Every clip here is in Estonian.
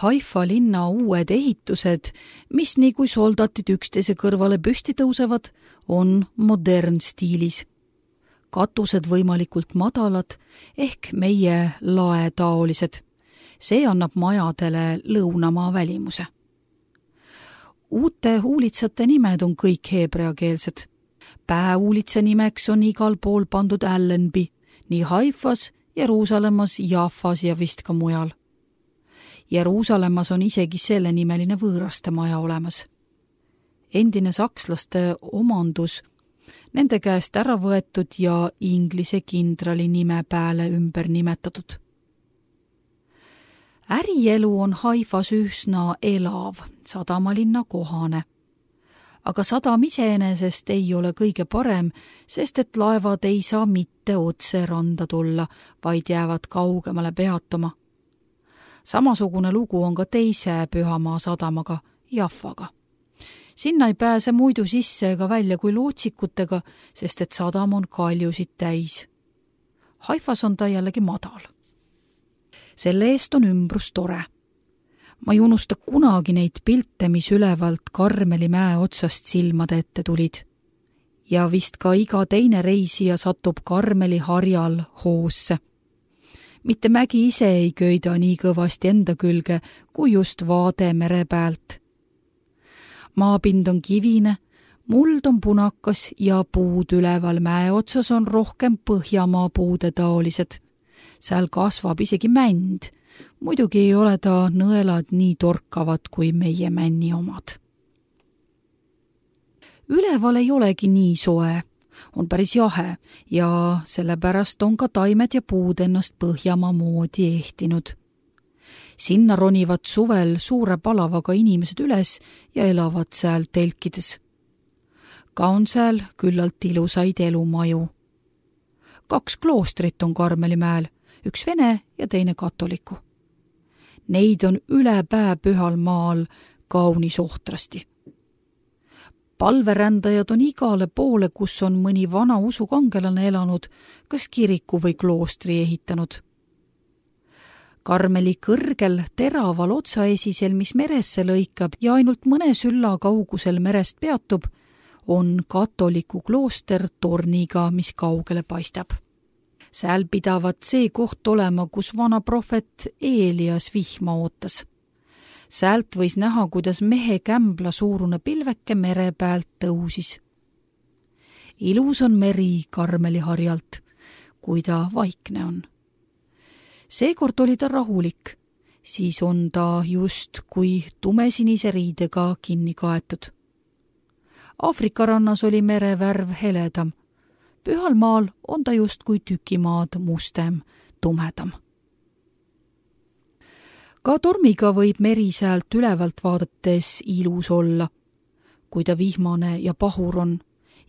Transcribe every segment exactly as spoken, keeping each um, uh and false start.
Haifa linna uued ehitused, mis nii kui soldatid üksteise kõrvale püsti tõusevad, on modernstiilis. Katused võimalikult madalad ehk meie laetaolised. See annab majadele lõunamaa välimuse. Uute huulitsate nimed on kõik heebreakeelsed. Pääuulitsa nimeks on igal pool pandud Allenby, nii Haifas, Jeruusalemmas, Jaffas ja vist ka mujal. Jeruusalemmas on isegi selle nimeline võõraste maja olemas. Endine sakslaste omandus, nende käest ära võetud ja inglise kindrali nime pääle ümber nimetatud. Ärielu on Haifas üsna elav, sadamalinna kohane. Aga sadam iseenesest ei ole kõige parem, sest et laevad ei saa mitte otse randa tulla, vaid jäävad kaugemale peatuma. Samasugune lugu on ka teise Pühamaa sadamaga, Jaffaga. Sinna ei pääse muidu sisse ega välja kui lootsikutega, sest et sadam on kaljusid täis. Haifas on ta jällegi madal. Selle eest on ümbrus tore. Ma ei unusta kunagi neid pilte, mis ülevalt Karmeli mäe otsast silmade ette tulid. Ja vist ka iga teine reisija satub Karmeli harjal hoosse. Mitte mägi ise ei köida nii kõvasti enda külge, kui just vaade mere pealt. Maapind on kivine, muld on punakas ja puud üleval mäe otsas on rohkem Põhjamaa puude taolised. Seal kasvab isegi mänd. Muidugi ei ole ta nõelad nii torkavad kui meie männi omad. Üleval ei olegi nii soe, on päris jahe ja sellepärast on ka taimed ja puud ennast Põhjamaa moodi ehtinud. Sinna ronivad suvel suure palavaga inimesed üles ja elavad seal telkides. Ka on seal küllalt ilusaid elumaju. Kaks kloostrit on Karmelimäel, üks vene ja teine katoliku. Neid on üle pää pühal maal kaunis ohtrasti. Palverändajad on igale poole, kus on mõni vana usukangelane elanud, kas kiriku või kloostri ehitanud. Karmeli kõrgel teraval otsaesisel, mis meresse lõikab ja ainult mõne sülla kaugusel merest peatub, on katoliku klooster torniga, mis kaugele paistab. Sääl pidavat see koht olema, kus vana prohvet Eelias vihma ootas. Säält võis näha, kuidas mehe kämbla suurune pilveke mere pealt tõusis. Ilus on meri Karmeli harjalt, kui ta vaikne on. Seekord oli ta rahulik, siis on ta just kui tumesinise riidega kinni kaetud. Aafrika rannas oli mere värv heledam. Pühal maal on ta just kui tükimaad mustem, tumedam. Ka tormiga võib meri säält ülevalt vaadates ilus olla, kui ta vihmane ja pahur on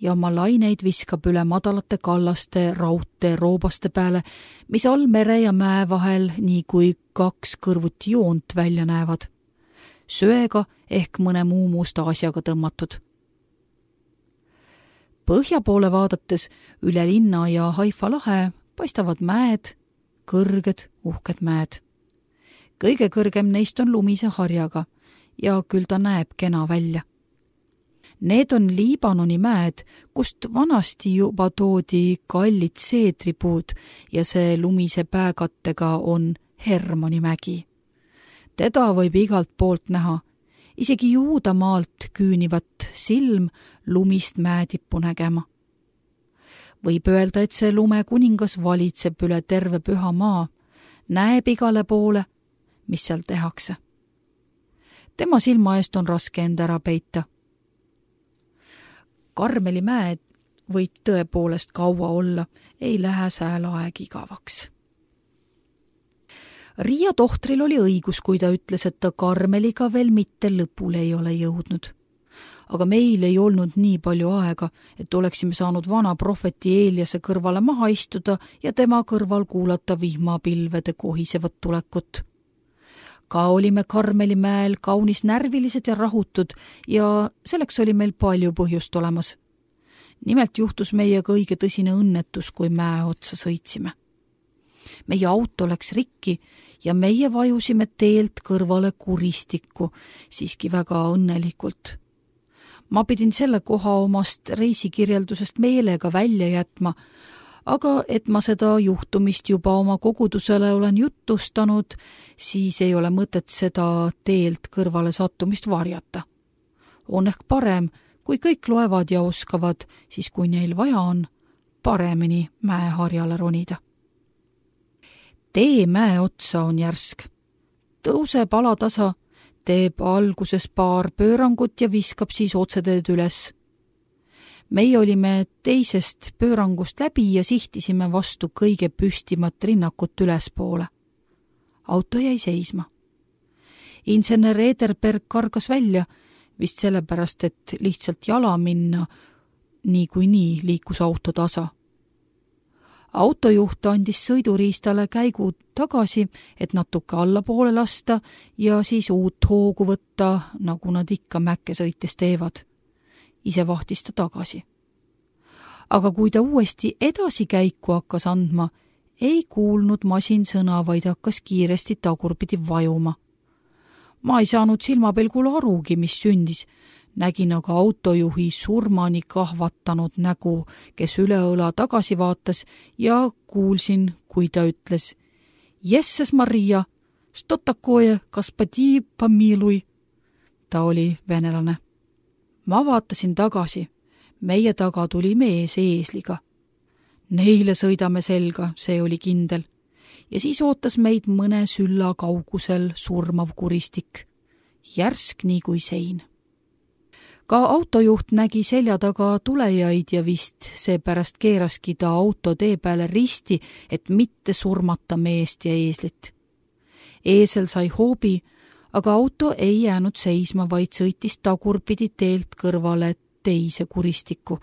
ja oma laineid viskab üle madalate kallaste raudte roobaste peale, mis all mere ja mäe vahel nii kui kaks kõrvuti joont välja näevad, söega ehk mõne muu musta asjaga tõmmatud. Põhja poole vaadates üle linna ja Haifa lahe paistavad mäed, kõrged, uhked mäed. Kõige kõrgem neist on lumise harjaga ja küll ta näeb kena välja. Need on Liibanoni mäed, kust vanasti juba toodi kallid seedripuud ja see lumise pääkattega on Hermoni mägi. Teda võib igalt poolt näha, isegi Juudamaalt küünivat silm lumist mäetippu nägema. Võib öelda, et see lume kuningas valitseb üle terve püha maa, näeb igale poole, mis seal tehakse. Tema silma eest on raske enda ära peita. Karmeli mäed võid tõepoolest kaua olla, ei lähe sääl aeg igavaks. Riia tohtril oli õigus, kui ta ütles, et ta Karmeliga veel mitte lõpule ei ole jõudnud. Aga meil ei olnud nii palju aega, et oleksime saanud vana prohveti Eeliase kõrvale maha istuda ja tema kõrval kuulata vihmapilvede kohisevat tulekut. Ka olime Karmeli mäel kaunis närvilised ja rahutud ja selleks oli meil palju põhjust olemas. Nimelt juhtus meiega õige tõsine õnnetus, kui mäe otsa sõitsime. meie auto läks rikki ja meie vajusime teelt kõrvale kuristikku, siiski väga õnnelikult. Ma pidin selle koha omast reisikirjeldusest meelega välja jätma, aga et ma seda juhtumist juba oma kogudusele olen jutustanud, siis ei ole mõtet seda teelt kõrvale sattumist varjata. On ehk parem, kui kõik loevad ja oskavad, siis kui neil vaja on, paremini mäeharjale ronida. Tee mäe otsa on järsk. Tõuseb alatasa, teeb alguses paar pöörangut ja viskab siis otseteed üles. Meie olime teisest pöörangust läbi ja sihtisime vastu kõige püstimat rinnakut ülespoole. Auto jäi seisma. Insener Ederberg kargas välja, vist sellepärast, et lihtsalt jala minna, nii kui nii liikus auto tasa. Autojuht andis sõiduriistale käigu tagasi, et natuke allapoole lasta ja siis uut hoogu võtta, nagu nad ikka mäkke sõites teevad. Ise vahtis ta tagasi. Aga kui ta uuesti edasi käiku hakkas andma, ei kuulnud masin sõna, vaid hakkas kiiresti tagurpidi vajuma. Ma ei saanud silmapilgul arugi, mis sündis. Nägin aga autojuhi surmani kahvatanud nägu, kes üle õla tagasi vaatas ja kuulsin, kui ta ütles: Jesses Maria, što takoje, kaspadi pamilui. Ta oli venelane. Ma vaatasin tagasi. Meie taga tuli mees eesliga. Neile sõidame selga, see oli kindel. Ja siis ootas meid mõne sülla kaugusel surmav kuristik. Järsk nii kui sein. Ka autojuht nägi selja taga tulejaid ja vist seepärast keeraski ta auto tee peale risti, et mitte surmata meest ja eeslit. Eesel sai hoobi, aga auto ei jäänud seisma, vaid sõitis tagurpidi teelt kõrvale teise kuristikku.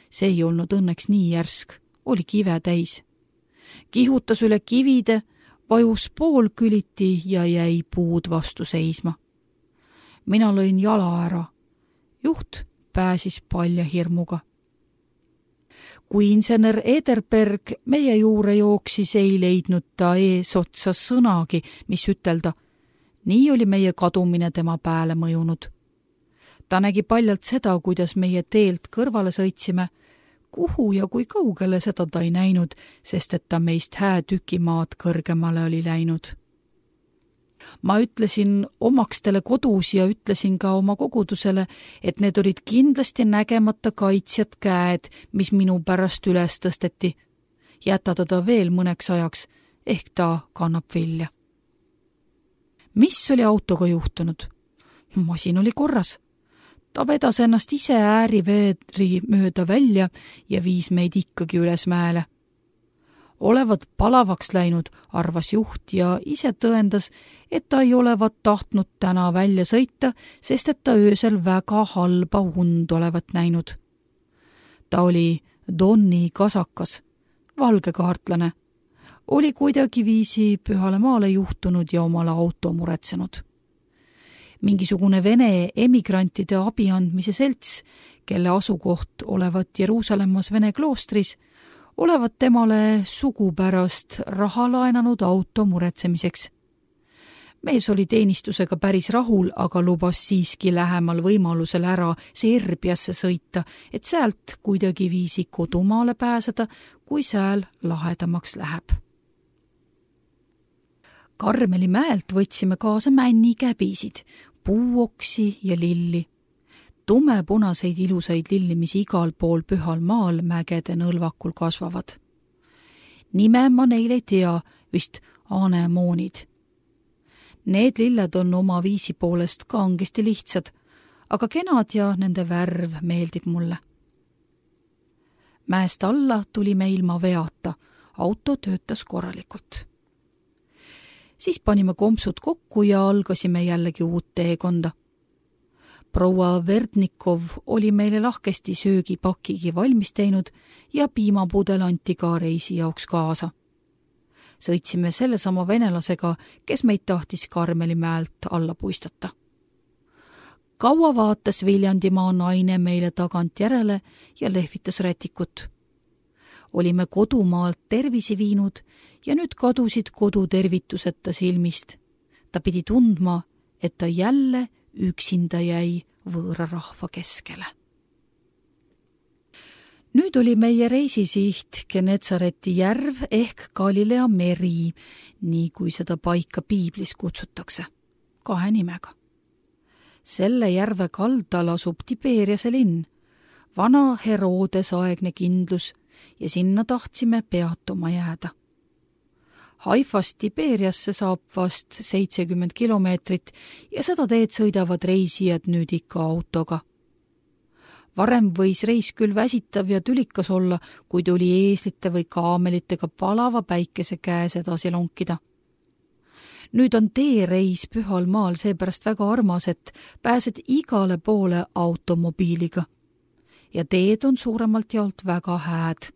See ei olnud õnneks nii järsk, oli kive täis. Kihutas üle kivide, vajus poolküliti ja jäi puud vastu seisma. Mina lõin jala ära. Juht pääsis palja hirmuga. Kui insener Ederberg meie juure jooksis, ei leidnud ta eesotsa sõnagi, mis ütelda. Nii oli meie kadumine tema pääle mõjunud. Ta nägi paljalt seda, kuidas meie teelt kõrvale sõitsime, kuhu ja kui kaugele seda ta ei näinud, sest et ta meist hää tükimaad kõrgemale oli läinud. Ma ütlesin omakstele kodus ja ütlesin ka oma kogudusele, et need olid kindlasti nägemata kaitsjad käed, mis minu pärast üles tõsteti. Jätada ta veel mõneks ajaks, ehk ta kannab vilja. Mis oli autoga juhtunud? Masin oli korras. Ta vedas ennast ise ääriveeri mööda välja ja viis meid ikkagi üles mäele. Olevat palavaks läinud, arvas juht ja ise tõendas, et ta ei olevat tahtnud täna välja sõita, sest et ta öösel väga halba und olevat näinud. Ta oli Donni kasakas, valgekaartlane, oli kuidagi viisi pühale maale juhtunud ja omale auto muretsenud. Mingisugune Vene emigrantide abi andmise selts, kelle asukoht olevat Jeruusalemmas Vene kloostris, olevat temale sugupärast raha laenanud auto muretsemiseks. Mees oli teenistusega päris rahul, aga lubas siiski lähemal võimalusel ära Serbiasse sõita, et sealt kuidagi viisi kodumaale pääseda, kui sääl lahedamaks läheb. Karmeli mäelt võtsime kaasa männikäbisid, puuoksi ja lilli. Tumepunaseid ilusaid lilli, mis igal pool pühal maal mägede nõlvakul kasvavad. Nime ma neile ei tea, vist anemoonid. Need lilled on oma viisi poolest kangesti lihtsad, aga kenad ja nende värv meeldib mulle. Mäest alla tulime ilma veata, auto töötas korralikult. Siis panime kompsud kokku ja algasime jällegi uut teekonda. Proua Verdnikov oli meile lahkesti söögipakigi valmis teinud ja piimapudel anti ka reisi jaoks kaasa. Sõitsime sellesama venelasega, kes meid tahtis Karmeli mäelt alla puistata. Kaua vaatas Viljandimaa naine meile tagant järele ja lehvitas rätikut. olime kodumaalt tervisi viinud ja nüüd kadusid kodutervituseta silmist. Ta pidi tundma, et ta jälle üksinda jäi võõra rahva keskele. Nüüd oli meie reisisiht Genetsareti järv ehk Galilea meri, nii kui seda paika piiblis kutsutakse, kahe nimega. Selle järve kaldal asub Tiberiase linn, vana Herodes aegne kindlus ja sinna tahtsime peatuma jääda. Haifast Tiberiasse saab vast seitsekümmend kilomeetrit ja seda teed sõidavad reisijad nüüd ikka autoga. Varem võis reis küll väsitav ja tülikas olla, kuid oli eeslite või kaamelitega palava päikese käes edasi lonkida. Nüüd on teereis pühal maal seepärast väga armas, et pääsed igale poole automobiiliga. Ja teed on suuremalt jaolt väga hääd.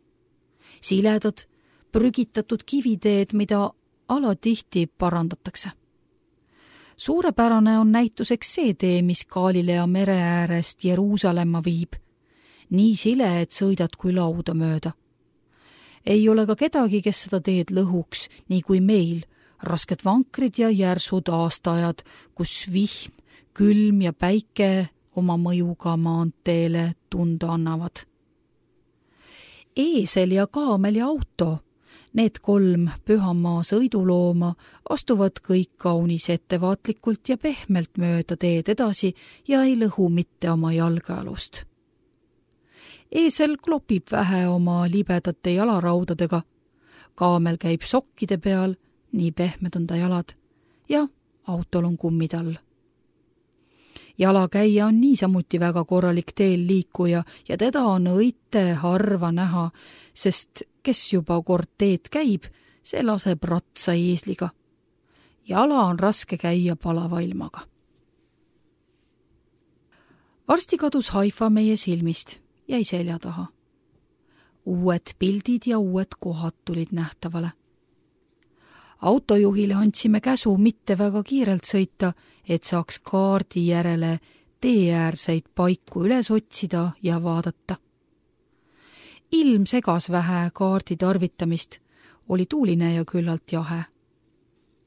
Siledad, prügitatud kiviteed, mida alatihti parandatakse. Suurepärane on näituseks see tee, mis Galilea mere äärest Jeruusalemma viib. Nii sile, et sõidad kui lauda mööda. Ei ole ka kedagi, kes seda teed lõhuks, nii kui meil, rasked vankrid ja järsud aastaajad, kus vihm, külm ja päike oma mõjuga maanteele tunda annavad. Eesel ja kaamel ja auto, need kolm pühamaa sõidulooma astuvad kõik kaunis ettevaatlikult ja pehmelt mööda teed edasi ja ei lõhu mitte oma jalgealust. Eesel klopib vähe oma libedate jalaraudadega, kaamel käib sokkide peal, nii pehmed on ta jalad, ja autol on kummitall. Jalakäija on niisamuti väga korralik teel liikuja ja teda on õite harva näha, sest kes juba kord teed käib, see laseb ratsa eesliga. Jala on raske käia palava ilmaga. Varsti kadus Haifa meie silmist, jäi selja taha. Uued pildid ja uued kohad tulid nähtavale. Autojuhile andsime käsu mitte väga kiirelt sõita, et saaks kaardi järele teeäärseid paiku üles otsida ja vaadata. Ilm segas vähe kaardi tarvitamist, oli tuuline ja küllalt jahe.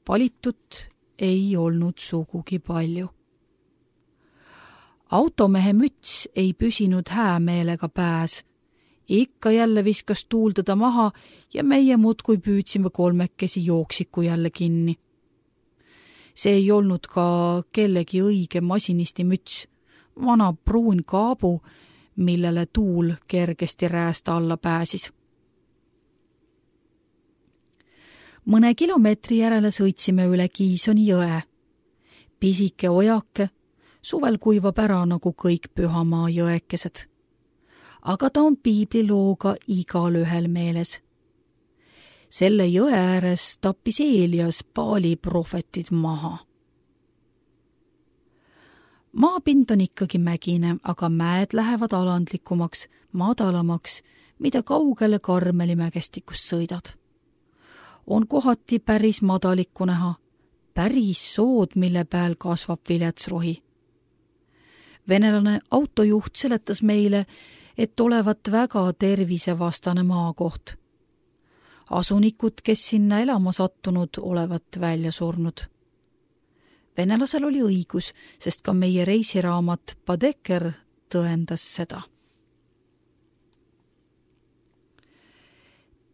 Palitut ei olnud sugugi palju. Automehe müts ei püsinud häämeelega pääs. Ikka jälle viskas tuuldada maha ja meie muudkui püüdsime kolmekesi jooksiku jälle kinni. See ei olnud ka kellegi õige masinisti müts, vana pruun kaabu, millele tuul kergesti rääst alla pääsis. Mõne kilomeetri järele sõitsime üle Kiisoni jõe. Pisike ojake, suvel kuivab ära nagu kõik pühamaa jõekesed. Aga ta on piiblilooga igal ühel meeles. Selle jõe ääres tappis Eelias Baali prohvetid maha. Maapind on ikkagi mägine, aga mäed lähevad alandlikumaks, madalamaks, mida kaugele Karmeli mägestikust sõidad. On kohati päris madalikku näha, päris sood, mille peal kasvab viletsrohi. Venelane autojuht seletas meile, et olevat väga tervisevastane maakoht. Asunikud, kes sinna elama sattunud, olevat välja surnud. Venelasel oli õigus, sest ka meie reisiraamat Badeker tõendas seda.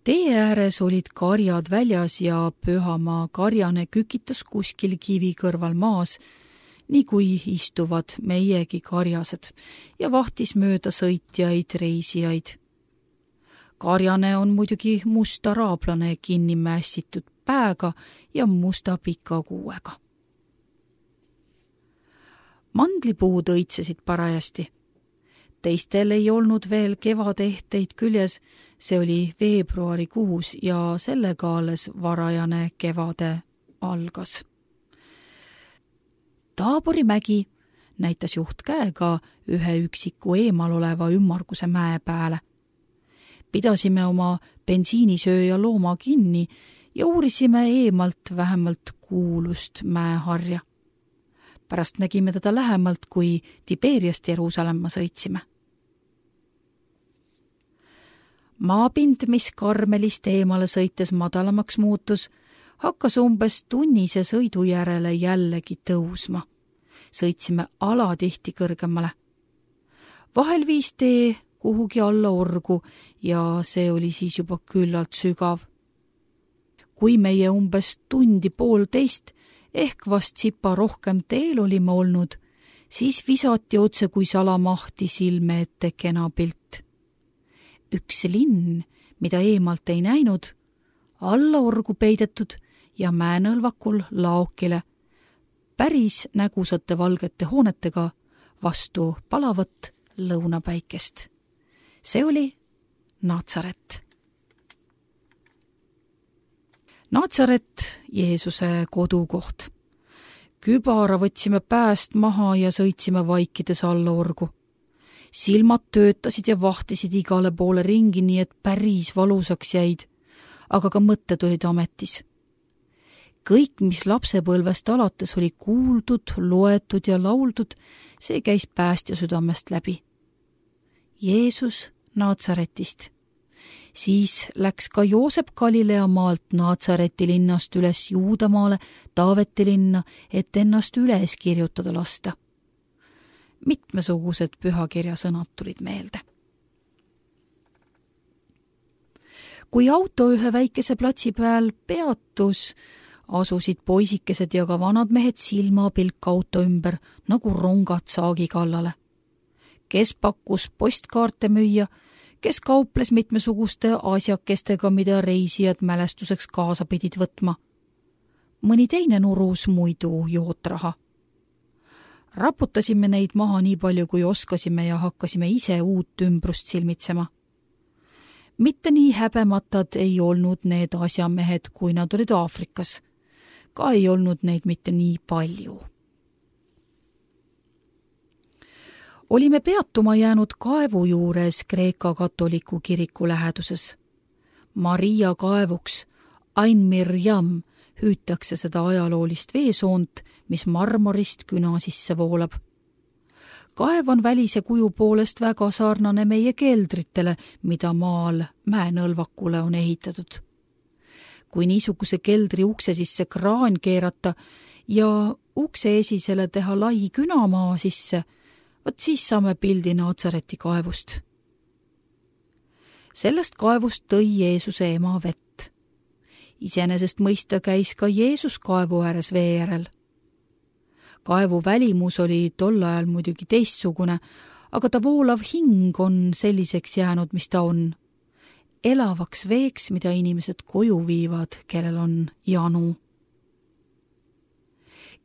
Tee ääres olid karjad väljas ja pühamaa karjane kükitas kuskil kivi kõrval maas, nii kui istuvad meiegi karjased ja vahtis mööda sõitjaid reisijaid. Karjane on muidugi musta raablane kinni mässitud pääga ja musta pika kuuega. Mandlipuud õitsesid parajasti. Teistel ei olnud veel kevadehteid küljes, see oli veebruarikuus ja sellega alles varajane kevade algas. Taabori mägi näitas juht käega ühe üksiku eemal oleva ümmarguse mäe pääle. Pidasime oma bensiinisööja looma kinni ja uurisime eemalt vähemalt kuulust mäeharja. Pärast nägime teda lähemalt, kui Tiberiast Jeruusalemma sõitsime. Maapind, mis Karmelist eemale sõites madalamaks muutus, hakkas umbes tunnise sõidu järele jällegi tõusma. Sõitsime alatihti kõrgemale. Vahel viis tee kuhugi alla orgu ja see oli siis juba küllalt sügav. Kui meie umbes tundi poolteist ehk vast sipa rohkem teel olime olnud, siis visati otse kui salamahti silme ette kena pilt. Üks linn, mida eemalt ei näinud, alla orgu peidetud ja mäenõlvakul laokile, päris nägusate valgete hoonetega vastu palavat lõunapäikest. See oli Naatsaret. Naatsaret, Jeesuse kodukoht. Kübara võtsime pääst maha ja sõitsime vaikides alla orgu. Silmad töötasid ja vahtisid igale poole ringi, nii et päris valusaks jäid, aga ka mõtted olid ametis. Kõik, mis lapsepõlvest alates oli kuuldud, loetud ja lauldud, see käis päästja südamest läbi. Jeesus Naatsaretist. Siis läks ka Joosep Galilea maalt Naatsareti linnast üles Juudamaale Taaveti linna, et ennast üles kirjutada lasta. Mitmesugused pühakirja sõnad tulid meelde. Kui auto ühe väikese platsi peal peatus, asusid poisikesed ja ka vanad mehed silmapilk auto ümber nagu rongad saagi kallale. Kes pakkus postkaarte müüa, kes kauples mitmesuguste asjakestega, mida reisijad mälestuseks kaasa pidid võtma. Mõni teine nurus muidu jootraha. Raputasime neid maha nii palju, kui oskasime ja hakkasime ise uut ümbrust silmitsema. Mitte nii häbematad ei olnud need asjamehed, kui nad olid Aafrikas. Ka ei olnud neid mitte nii palju. Olime peatuma jäänud kaevu juures Kreeka katoliku kiriku läheduses. Maria kaevuks, Ain Mirjam, hüütakse seda ajaloolist veesoont, mis marmorist küna sisse voolab. Kaev on välise kuju poolest väga sarnane meie keldritele, mida maal mäenõlvakule on ehitatud. Kui niisuguse keldri ukse sisse kraan keerata ja ukse esisele teha lai künamaa sisse, vot siis saame pildi Naatsareti kaevust. Sellest kaevust tõi Jeesuse ema vett. Iseenesest mõista käis ka Jeesus kaevu ääres vee järel. Kaevu välimus oli tol ajal muidugi teistsugune, aga ta voolav hing on selliseks jäänud, mis ta on. Elavaks veeks, mida inimesed koju viivad, kellel on janu.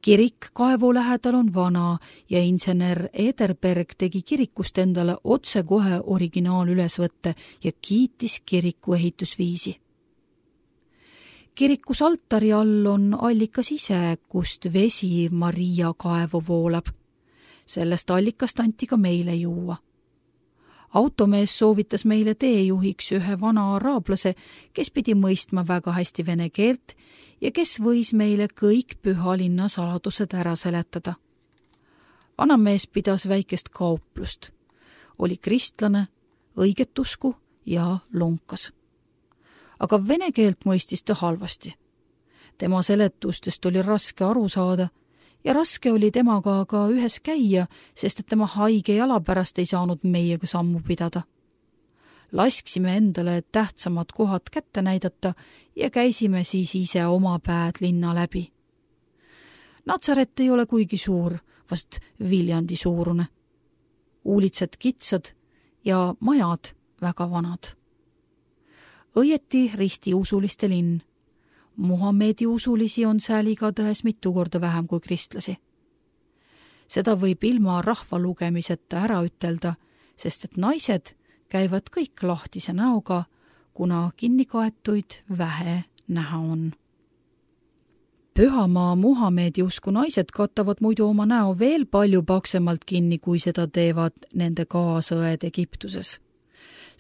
Kirik kaevu lähedal on vana ja insener Ederberg tegi kirikust endale otse kohe originaalülesvõtte ja kiitis kiriku ehitusviisi. Kirikus altari all on allikas ise, kust vesi Maria kaevu voolab. Sellest allikast anti ka meile juua. Automees soovitas meile teejuhiks ühe vana araablase, kes pidi mõistma väga hästi vene keelt ja kes võis meile kõik pühalinna saladused ära seletada. Vanamees pidas väikest kauplust. Oli kristlane, õiget usku ja lonkas. Aga vene keelt mõistis ta halvasti. Tema seletustest oli raske aru saada ja raske oli temaga ka ühes käia, sest et tema haige jala pärast ei saanud meiega sammu pidada. Lasksime endale tähtsamad kohad kätte näidata ja käisime siis ise oma päed linna läbi. Natsaret ei ole kuigi suur, vast Viljandi suurune. Uulitsed kitsad ja majad väga vanad. Õieti ristiusuliste linn. Muhamedi usulisi on sääl igatahes mitu korda vähem kui kristlasi. Seda võib ilma rahva lugemiseta ära ütelda, sest et naised käivad kõik lahtise näoga, kuna kinnikaetuid vähe näha on. Pühamaa Muhamedi usku naised katavad muidu oma näo veel palju paksemalt kinni, kui seda teevad nende kaasõed Egiptuses.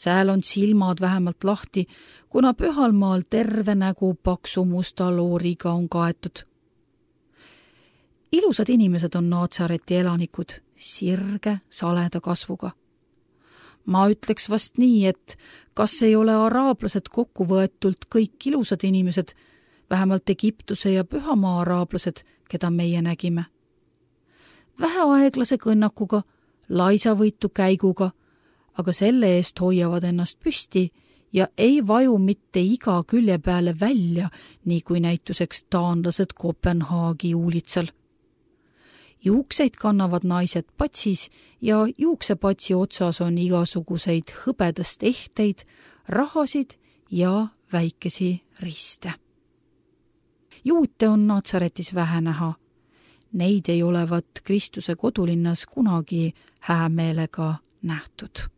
Sääl on silmad vähemalt lahti, kuna pühalmaal terve nägu paksu musta looriga on kaetud. Ilusad inimesed on Naatsareti elanikud, sirge, saleda kasvuga. Ma ütleks vast nii, et kas ei ole araablased kokku võetult kõik ilusad inimesed, vähemalt Egiptuse ja Pühamaa araablased, keda meie nägime. Väheaeglase kõnnakuga, laisavõitu käiguga, aga selle eest hoiavad ennast püsti ja ei vaju mitte iga külje peale välja, nii kui näituseks taanlased Kopenhaagi uulitsal. Juukseid kannavad naised patsis ja juuksepatsi otsas on igasuguseid hõbedast ehteid, rahasid ja väikesi riste. Juute on Natsaretis vähe näha. Neid ei olevat Kristuse kodulinnas kunagi häämeelega nähtud.